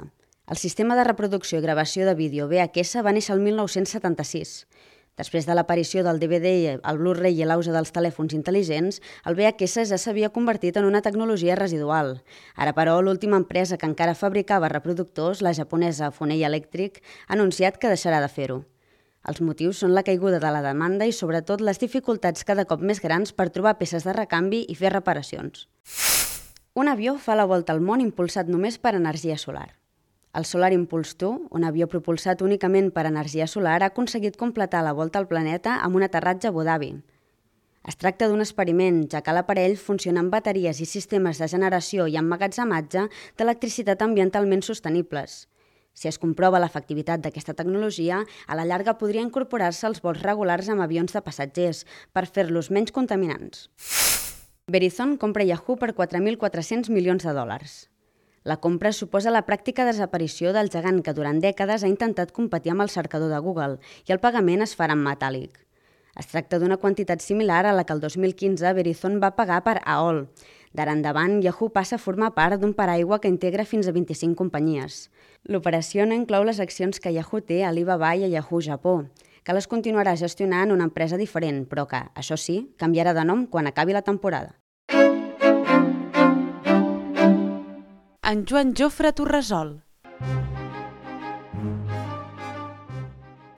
El sistema de reproducció i gravació de vídeo V H S va néixer el mil nou-cents setanta-sis. Després de l'aparició del D V D, el Blu-ray i l'auge dels telèfons intel·ligents, el V H S ja s'havia convertit en una tecnologia residual. Ara, però, l'última empresa que encara fabricava reproductors, la japonesa Funei Electric, ha anunciat que deixarà de fer-ho. Els motius són la caiguda de la demanda i, sobretot, les dificultats cada cop més grans per trobar peces de recanvi i fer reparacions. Un avió fa la volta al món impulsat només per energia solar. El Solar Impulse dos, un avió propulsat únicament per energia solar, ha aconseguit completar la volta al planeta amb un aterratge a Abu Dhabi. Es tracta d'un experiment, ja que l'aparell funciona amb bateries i sistemes de generació i emmagatzematge d'electricitat ambientalment sostenibles. Si es comprova l'efectivitat d'aquesta tecnologia, a la llarga podria incorporar-se als vols regulars amb avions de passatgers per fer-los menys contaminants. Verizon compra Yahoo per quatre mil quatre-cents milions de dòlars. La compra suposa la pràctica desaparició del gegant que durant dècades ha intentat competir amb el cercador de Google i el pagament es farà en metàl·lic. Es tracta d'una quantitat similar a la que el dos mil quinze Verizon va pagar per A O L. D'ara endavant, Yahoo passa a formar part d'un paraigua que integra fins a vint-i-cinc companyies. L'operació no inclou les accions que Yahoo té a Alibaba i a Yahoo Japó, que les continuarà gestionant una empresa diferent, però que, això sí, canviarà de nom quan acabi la temporada. En Joan Jofre Torresol.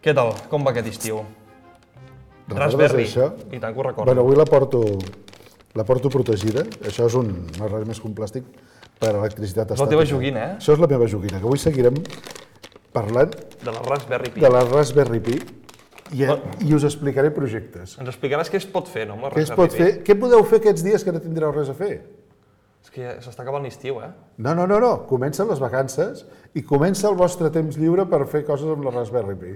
Què tal? Com va aquest estiu? Recordes Raspberry. això? I tant que ho recordo. Bueno, avui la porto, la porto protegida. Això és un, no res més que un plàstic per a electricitat estàtica. És la teva joguina, eh? Això és la meva joguina, que avui seguirem parlant De la Raspberry Pi. de la Raspberry Pi i, No. i us explicaré projectes. Ens explicaràs què es pot fer, no, amb la Què es Raspberry pot fer? Què podeu fer aquests dies que no tindreu res a fer? És que ja s'està acabant l'estiu, eh? No, no, no, no. Comencen les vacances i comença el vostre temps lliure per fer coses amb la Raspberry Pi.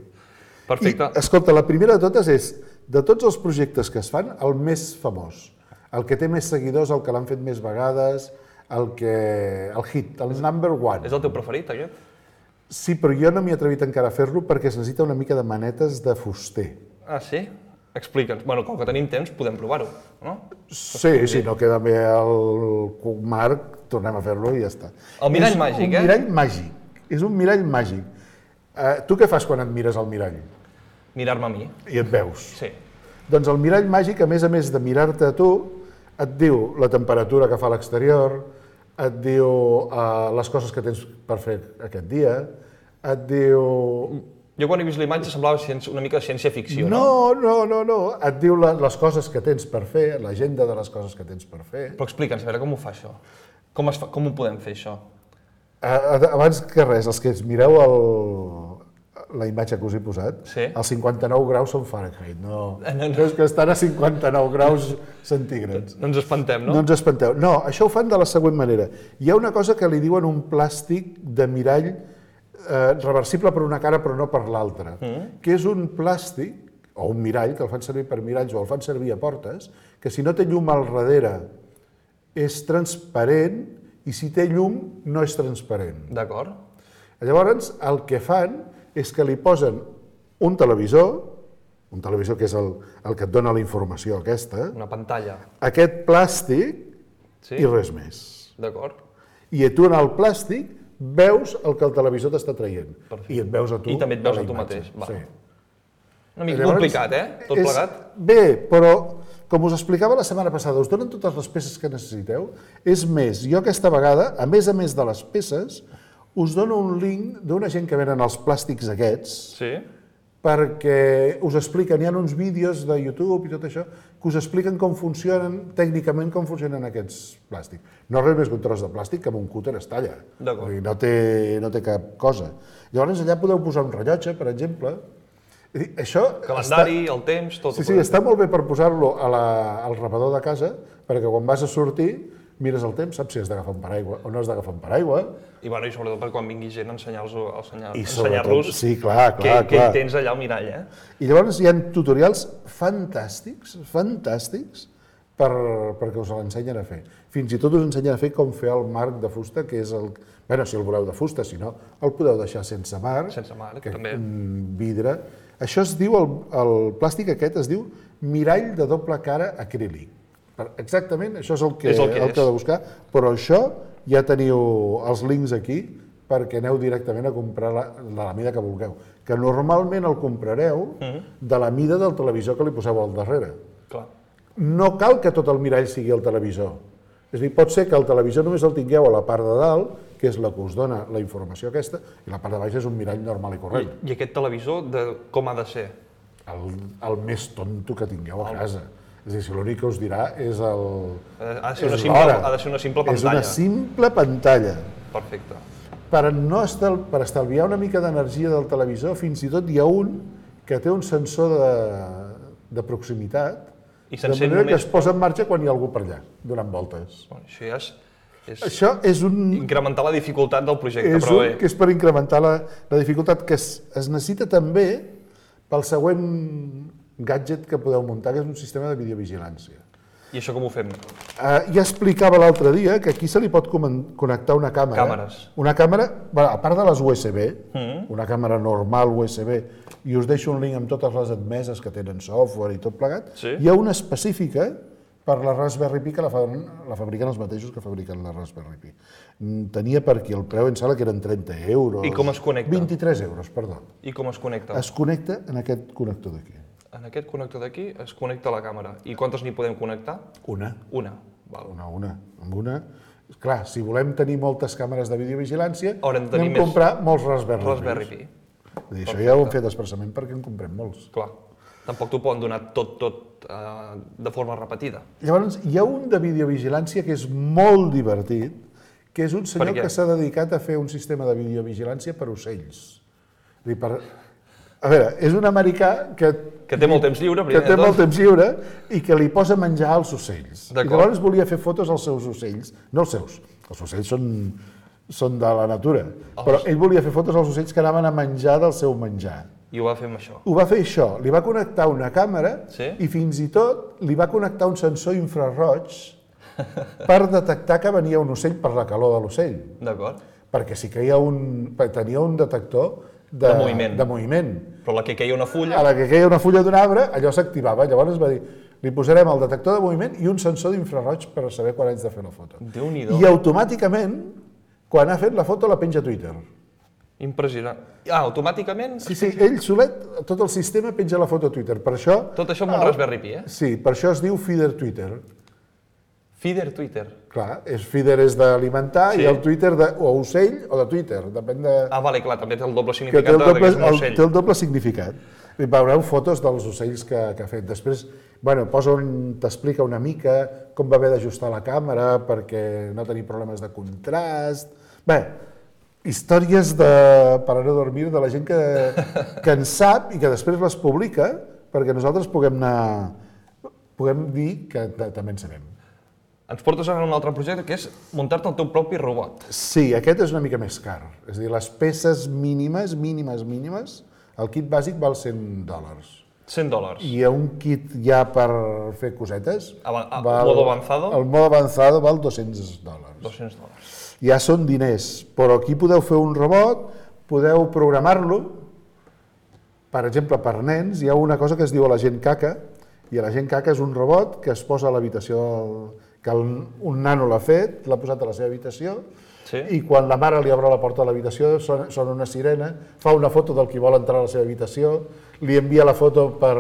Perfecte. I, escolta, la primera de totes és, de tots els projectes que es fan, el més famós, el que té més seguidors, el que l'han fet més vegades, el que... el hit, el number one. És el teu preferit, aquest? Sí, però jo no m'hi he atrevit encara a fer-lo perquè es necessita una mica de manetes de fuster. Ah, sí? Explica'ns. Bueno, com que tenim temps, podem provar-ho, no? Sí, sí, no queda bé el Marc, tornem a fer-lo i ja està. El mirall màgic, eh? És un mirall màgic. És un mirall màgic. Uh, tu què fas quan et mires al mirall? Mirar-me a mi. I et veus. Sí. Doncs el mirall màgic, a més a més de mirar-te a tu, et diu la temperatura que fa a l'exterior, et diu uh, les coses que tens per fer aquest dia, et diu... Jo quan he vist l'imatge semblava ciència, una mica ciència-ficció, no? No, no, no, no. Et diu la, les coses que tens per fer, l'agenda de les coses que tens per fer. Però explica'ns, a veure com ho fa això. Com, es fa, com ho podem fer, això? Uh, abans que res, els que ens mireu el, la imatge que us he posat, sí? Els cinquanta-nou graus són Fahrenheit, no, no, no. no és que estan a cinquananta-nou graus centígrads. No ens espantem, no? No ens espanteu. No, això ho fan de la següent manera. Hi ha una cosa que li diuen un plàstic de mirall eh, reversible per una cara però no per l'altra, mm. que és un plàstic, o un mirall, que el fan servir per miralls o el fan servir a portes, que si no té llum al darrere és transparent i si té llum no és transparent. D'acord. Llavors, el que fan és que li posen un televisor, un televisor que és el, el que et dona la informació aquesta, una pantalla, aquest plàstic sí? I res més. D'acord. I tu en el plàstic veus el que el televisor t'està traient. Perfecte. I et veus a tu. I també et veus a a tu imatge. mateix. Va. Sí. Una mica Llavors, complicat, eh? Tot és, plegat. Bé, però com us explicava la setmana passada, us donen totes les peces que necessiteu. És més, jo aquesta vegada, a més a més de les peces, us dono un link d'una gent que venen els plàstics aquests, sí? perquè us expliquen, hi ha uns vídeos de YouTube i tot això, que us expliquen com funcionen, tècnicament, com funcionen aquests plàstics. No res més que un tros de plàstic que amb un cúter es talla. No té, no té cap cosa. Llavors allà podeu posar un rellotge, per exemple. Això calendari, està... el temps, tot. Sí, sí, està molt bé per posar-lo al repador de casa, perquè quan vas a sortir mires el temps, saps si has d'agafar un paraigua o no has d'agafar un paraigua. I, bueno, i sobretot per quan vingui gent ensenyar-los I ensenyar-los sí, clar, clar, què, clar. què hi tens allà al mirall. Eh? I llavors hi ha tutorials fantàstics, fantàstics, per, perquè us l'ensenyen a fer. Fins i tot us ensenyen a fer com fer el marc de fusta, que és el... Bé, si el voleu de fusta, si no, el podeu deixar sense marc. Sense marc, que, també. Vidre. Això es diu, el, el plàstic aquest es diu mirall de doble cara acrílic. Exactament, això és el que, és el que, el que heu de buscar, però això ja teniu els links aquí perquè aneu directament a comprar la, la mida que vulgueu, que normalment el comprareu mm-hmm. de la mida del televisor que li poseu al darrere. Clar. No cal que tot el mirall sigui el televisor. És a dir, pot ser que el televisor només el tingueu a la part de dalt, que és la que us dona la informació aquesta, i la part de baix és un mirall normal i corrent. I, i aquest televisor, de, com ha de ser? El, el més tonto que tingueu a casa. És a dir, si l'únic que us dirà és el... Ha de ser una simple, ha de ser una simple pantalla. És una simple pantalla. Perfecte. Per, no estal, per estalviar una mica d'energia del televisor, fins i tot hi ha un que té un sensor de, de proximitat, I de manera només... que es posa en marxa quan hi ha algú per allà, donant voltes. Bueno, això ja és... és... Això és un... Incrementar la dificultat del projecte, és però un, bé. que és per incrementar la, la dificultat, que es, es necessita també pel següent gadget que podeu muntar, que és un sistema de videovigilància. I això com ho fem? Uh, ja explicava l'altre dia que aquí se li pot connectar una càmera. Càmeres. Una càmera, bueno, a part de les U S B, mm. una càmera normal U S B, i us deixo un link amb totes les admeses que tenen software i tot plegat, sí? Hi ha una específica per la Raspberry Pi que la, fa, la fabriquen els mateixos que fabriquen la Raspberry Pi. Tenia per aquí el preu, em sembla que eren trenta euros. I com es connecta? vint-i-tres euros, perdó. I com es connecta? Es connecta en aquest connector d'aquí. En aquest connector d'aquí es connecta la càmera. I quantes n'hi podem connectar? Una. Una. Val. Una, una. Amb una. Clar, si volem tenir moltes càmeres de videovigilància, anem a més... comprar molts Raspberry, Raspberry Pi. Pi. Això ja ho hem fet expressament perquè en comprem molts. Clar. Tampoc t'ho poden donar tot, tot eh, de forma repetida. Llavors, hi ha un de videovigilància que és molt divertit, que és un senyor que s'ha dedicat a fer un sistema de videovigilància per ocells. És dir, per... A veure, és un americà que... Que té molt temps lliure, primer. Que té molt temps lliure i que li posa menjar als ocells. I llavors volia fer fotos als seus ocells. No els seus, els ocells són, són de la natura. Els... Però ell volia fer fotos als ocells que anaven a menjar del seu menjar. I ho va fer amb això? Ho va fer això. Li va connectar una càmera sí? i fins i tot li va connectar un sensor infraroig per detectar que venia un ocell per la calor de l'ocell. D'acord. Perquè sí que hi ha un, tenia un detector De moviment. De moviment. Però la que queia una fulla... A la que queia una fulla d'un arbre, allò s'activava. Llavors va dir, li posarem el detector de moviment i un sensor d'infraroig per saber quan haig de fer la foto. Déu-n'hi-do. I automàticament, quan ha fet la foto, la penja a Twitter. Impressionant. Ah, automàticament? Sí, sí, ell solet, tot el sistema penja la foto a Twitter. Per això... Tot això amb un Raspberry Pi, eh? Sí, per això es diu Feeder Twitter. Feeder Twitter. Clar, és feeder és d'alimentar Sí. i el Twitter de, o ocell o de Twitter, depèn de... Ah, vale, clar, també té el doble que té significat el de doble, que és un el, ocell. té el doble significat. I veureu fotos dels ocells que, que ha fet. Després, bueno, posa un, t'explica una mica com va haver d'ajustar la càmera perquè no tenir problemes de contrast. Bé, històries de, per a no dormir de la gent que, que en sap i que després les publica perquè nosaltres puguem anar, puguem dir que també en sabem. Ens portes ara a un altre projecte, que és muntar-te el teu propi robot. Sí, aquest és una mica més car. És a dir, les peces mínimes, mínimes, mínimes, el kit bàsic val cent dòlars. cent dòlars. I un kit ja per fer cosetes... Ava- a- modo avanzado? El modo avanzado val dos-cents dòlars. dos-cents dòlars. Ja són diners, però aquí podeu fer un robot, podeu programar-lo. Per exemple, per nens, hi ha una cosa que es diu l'agent caca, i l'agent caca és un robot que es posa a l'habitació, que el, un nano l'ha fet, l'ha posat a la seva habitació, Sí. i quan la mare li obre la porta de l'habitació sona, sona una sirena, fa una foto del qui vol entrar a la seva habitació, li envia la foto per,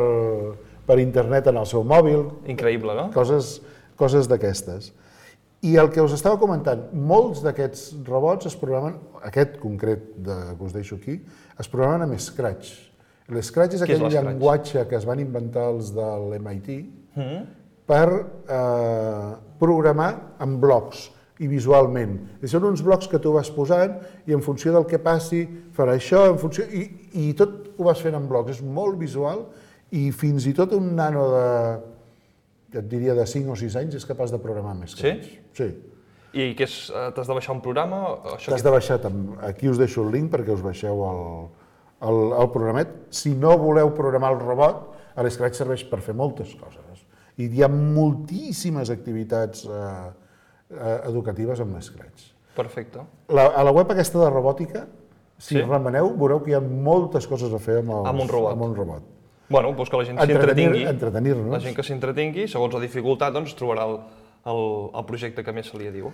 per internet en el seu mòbil, Increïble, no? coses, coses d'aquestes. I el que us estava comentant, molts d'aquests robots es programen, aquest concret de, que us deixo aquí, es programen amb Scratch. L'Scratch és Què és aquell l'Scratch? llenguatge que es van inventar els de l'M I T Mm. per eh, programar en blocs i visualment. I són uns blocs que tu vas posant i en funció del que passi farà això, en funció... I, i tot ho vas fent en blocs. És molt visual i fins i tot un nano de, et diria, de cinc o sis anys és capaç de programar més que Sí? ells. Sí? I què és? eh, T'has de baixar un programa? Això T'has de baixar, tam- aquí us deixo el link perquè us baixeu el, el, el programet. Si no voleu programar el robot, l'Scratch serveix per fer moltes coses. I hi ha moltíssimes activitats eh, eh, educatives amb l'Scratch. Perfecte. La, a la web aquesta de robòtica, si Sí. remeneu, veureu que hi ha moltes coses a fer amb, els, Amb un robot. Amb un robot. Bueno, doncs que la gent Entretenir- s'entretingui. entretenir-nos. La gent que s'entretingui, segons la dificultat, doncs trobarà el, el, el projecte que més se li diu.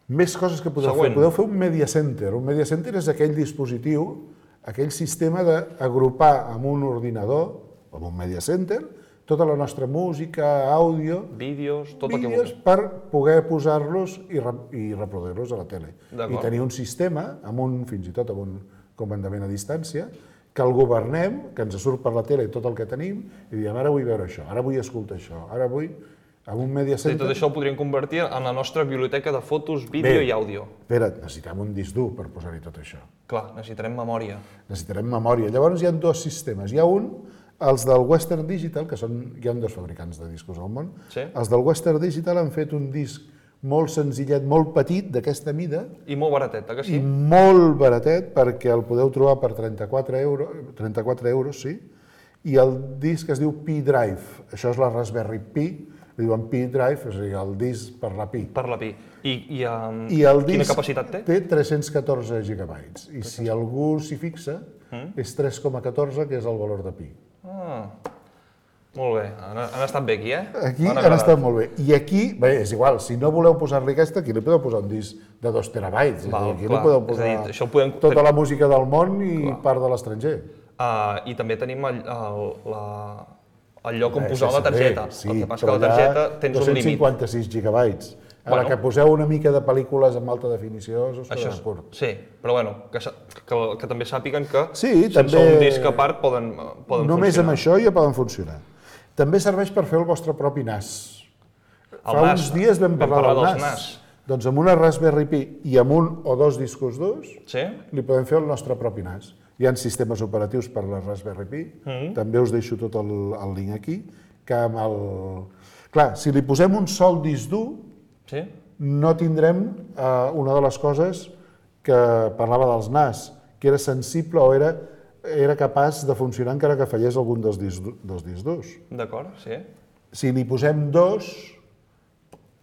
Més coses que podeu Següent. fer. Podeu fer un media center. Un media center és aquell dispositiu, aquell sistema d'agrupar amb un ordinador, amb un media center, tota la nostra música, àudio, Vídeos, tot el que vídeos vulguis. per poder posar-los i, re i reproduir-los a la tele. I D'acord. tenir un sistema, amb un, fins i tot amb un comandament a distància, que el governem, que ens surt per la tele tot el que tenim, i diem, ara vull veure això, ara vull escoltar això, ara vull... Amb un media I center... tot això ho podríem convertir en la nostra biblioteca de fotos, vídeo Bé. i àudio. Espera't, necessitem un disc dur per posar-hi tot això. Clar, necessitarem memòria. Necessitarem memòria. Llavors hi ha dos sistemes. Hi ha un, els del Western Digital, que són, hi ha dos fabricants de discos al món. Sí. Els del Western Digital han fet un disc molt senzillet, molt petit, d'aquesta mida, I molt baratet, eh que sí? i molt baratet, perquè el podeu trobar per trenta-quatre euros, trenta-quatre euros, sí, i el disc es diu Pi Drive. Això és la Raspberry Pi, li diuen Pi Drive, és a dir, el disc per la Pi. Per la Pi. I, i, um, I el quina disc capacitat té? té tres-cents catorze gigabytes. I si algú s'hi fixa, és tres coma catorze, que és el valor de pi. Ah, molt bé. Han, han estat bé aquí, eh? Aquí M'han han agradat. estat molt bé. I aquí, bé, és igual, si no voleu posar-li aquesta, aquí li podeu posar un disc de dos terabytes. Val, aquí clar. li podeu És a posar dir, això ho podem- tota la música del món i part de l'estranger. Uh, I també tenim el, el, la, el lloc on Eh, posar la sí, targeta. sí, el que passa però que la targeta allà tens un dos-cents límit. cinquanta-sis gigabytes. Ara Bueno. que poseu una mica de pel·lícules amb alta definició, us Això quedarà és, curt. sí, però bueno, que, sa- que, que també sàpiguen que Sí, sense també- un disc a part poden, poden Només funcionar. amb això ja poden funcionar. També serveix per fer el vostre propi N A S. El Fa N A uns S, dies vam vam parlar, parlar del dels N A S. N A S. Doncs amb una Raspberry Pi i amb un o dos discos durs Sí? li podem fer el nostre propi N A S. Hi ha sistemes operatius per la Raspberry Pi, Mm. també us deixo tot el, el link aquí, que amb el... Clar, si li posem un sol disc dur, Sí? no tindrem eh, una de les coses que parlava dels N A S, que era sensible o era, era capaç de funcionar encara que fallés algun dels discs, du- dels discs durs. D'acord, sí. Si li posem dos,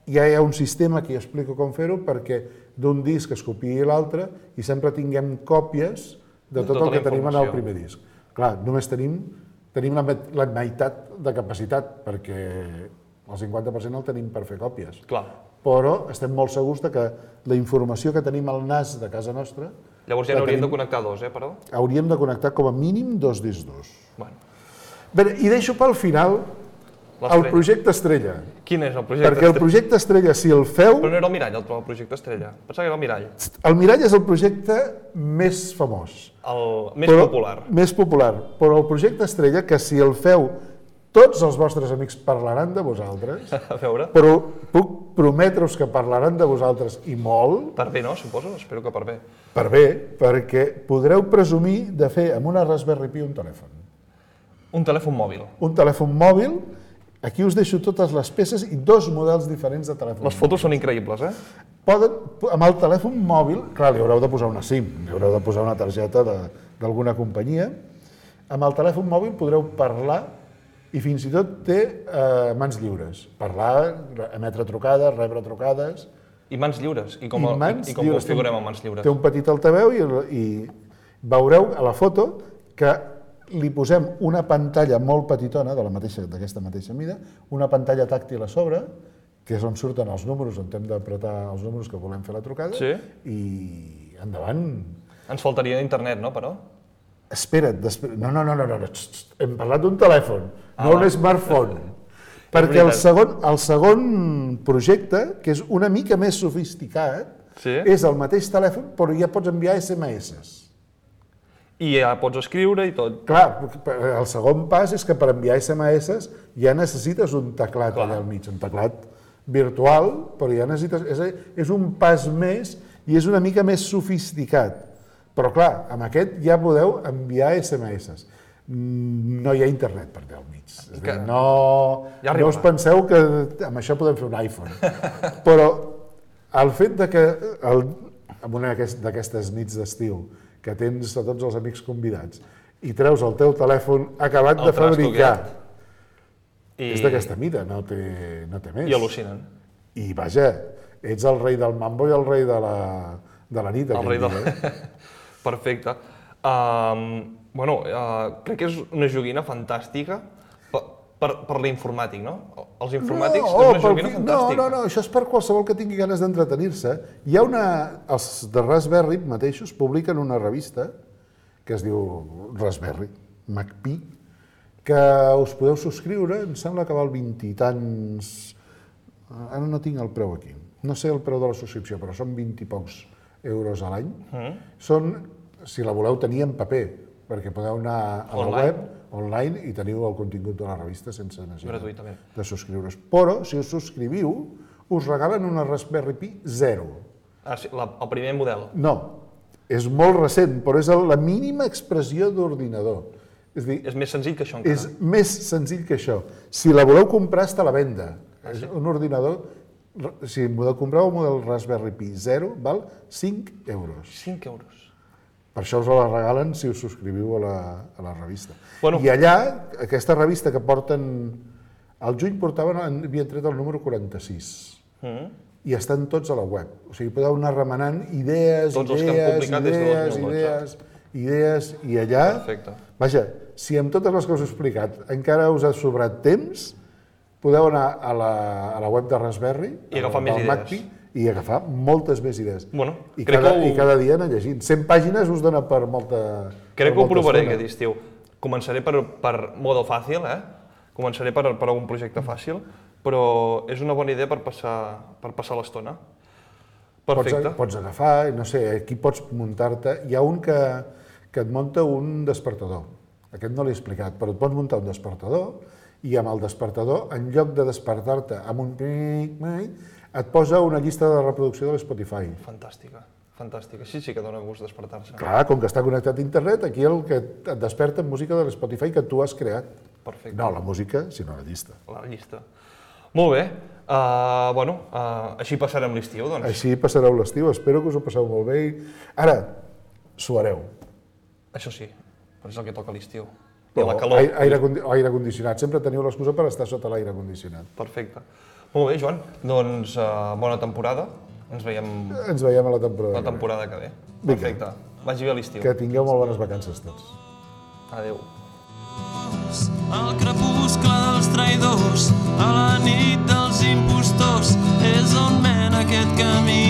ja hi ha un sistema que explico com fer-ho perquè d'un disc es copiï l'altre i sempre tinguem còpies de tot el que tenim en el primer disc. Clar, només tenim, tenim la, la meitat de capacitat, perquè el cinquanta per cent el tenim per fer còpies. Clar. Però estem molt segurs de que la informació que tenim al nas de casa nostra... Llavors ja n'hauríem de connectar dos, eh, però? Hauríem de connectar com a mínim dos discs durs. Bueno. Bé, i deixo pel final el projecte Estrella. Quin és el projecte Perquè el projecte Estrella, si el feu... Però no era el Mirall, el projecte Estrella. Pensava que era el Mirall. El Mirall és el projecte més famós. El més popular. Més popular. Però el projecte Estrella, que si el feu, tots els vostres amics parlaran de vosaltres. A veure. Però puc prometre-us que parlaran de vosaltres i molt. Per bé, no? Suposo? Espero que per bé. Per bé, perquè podreu presumir de fer amb una Raspberry Pi un telèfon. Un telèfon mòbil. Un telèfon mòbil. Aquí us deixo totes les peces i dos models diferents de telèfon. Les fotos són increïbles, eh? Poden, amb el telèfon mòbil, clar, li haureu de posar una SIM, li haureu de posar una targeta d'alguna companyia. Amb el telèfon mòbil podreu parlar i fins i tot té eh, mans lliures. Parlar, emetre trucades, rebre trucades... I mans lliures. I com, I el, mans i, i com lliures. configurem amb mans lliures? Té un petit altaveu i, i veureu a la foto que li posem una pantalla molt petitona, d'aquesta mateixa mida, una pantalla tàctil a sobre, que és on surten els números, on hem d'apretar els números que volem fer la trucada, sí. I endavant. Ens faltaria internet, no, però? Espera't, no, no, no, no, no, hem parlat d'un telèfon, ah, no un smartphone. Perquè el segon, el segon projecte, que és una mica més sofisticat, sí. És el mateix telèfon, però ja pots enviar esse eme esses. I ja pots escriure i tot. Clar, el segon pas és que per enviar esse eme esses ja necessites un teclat allà al mig, un teclat virtual, però ja necessites... És, és un pas més i és una mica més sofisticat. Però clar, amb aquest ja podeu enviar esse eme esses. No hi ha internet per allà al mig. És dir, no, ja no us penseu que amb això podem fer un iPhone. Però el fet de que el, en una d'aquestes nits d'estiu que tens a tots els amics convidats i treus el teu telèfon acabat de fabricar, és d'aquesta mida, no té, no té més. I al·lucinen. I vaja, ets el rei del mambo i el rei de la, de la nit. El rei del... Eh? Perfecte. Um, bueno, uh, crec que és una joguina fantàstica per, per, per l'informàtic, no? Els informàtics no, és una joguina fantàstica. No, no, no, això és per qualsevol que tingui ganes d'entretenir-se. Hi ha una... Els de Raspberry mateixos publiquen una revista que es diu Raspberry, MacPi, que us podeu subscriure, em sembla que val vint i tants... Ara no tinc el preu aquí. No sé el preu de la subscripció, però són vint i pocs euros a l'any. Mm. Són, si la voleu tenir en paper, perquè podeu anar a la online. web, online, i teniu el contingut de la revista sense necessitat de subscriure's. Però, si us subscriviu, us regalen una Raspberry Pi zero. Ah, sí, la, el primer model? No, és molt recent, però és la mínima expressió d'ordinador. És dir, és més senzill que això encara. És més senzill que això. Si la voleu comprar, està a la venda. Ah, sí? És un ordinador... Si podeu comprar un model Raspberry Pi zero, val cinc euros. cinc euros. Per això us la regalen si us subscriviu a la, a la revista. Bueno. I allà, aquesta revista que porten... Al juny portaven, havien tret el número quaranta-sis. Mm. I estan tots a la web. O sigui, podeu anar remenant idees, tots idees, idees, idees, idees, idees, i allà... Perfecte. Vaja, si amb totes les que us he explicat encara us ha sobrat temps, podeu anar a la, a la web de Raspberry, i agafar més idees. MacPi, i agafar moltes més idees. Bueno, I, cada, que ho... I cada dia anar llegint. cent pàgines us dona per molta... Crec per que ho provaré aquest estiu. Començaré per, per modo fàcil, eh? Començaré per, per un projecte fàcil, però és una bona idea per passar, per passar l'estona. Perfecte. Pots, pots agafar, no sé, aquí pots muntar-te... Hi ha un que, que et munta un despertador. Aquest no l'he explicat, però et pots muntar un despertador i amb el despertador, en lloc de despertar-te amb un... et posa una llista de reproducció de l'Spotify. Fantàstica, fantàstica. Sí, sí que dona gust despertar-se. Clar, com que està connectat a internet, aquí el que et desperta música de l'Spotify que tu has creat. Perfecte. No la música, sinó la llista. La llista. Molt bé. Uh, bueno, uh, així passarem l'estiu, doncs. Així passareu l'estiu, espero que us ho passeu molt bé. Ara, suareu. Això sí, però és el que toca l'estiu. I la calor. Aire, aire condicionat. Sempre teniu l'excusa per estar sota l'aire condicionat. Perfecte. Molt bé, Joan. Doncs uh, bona temporada. Ens veiem... Ens veiem a la temporada. La temporada que ve. Perfecte. Vagi bé a l'estiu. Que tingueu molt bones vacances tots. Adéu. Al crepuscle dels traïdors, a la nit dels impostors, és on mena aquest camí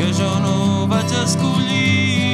que jo no vaig escollir.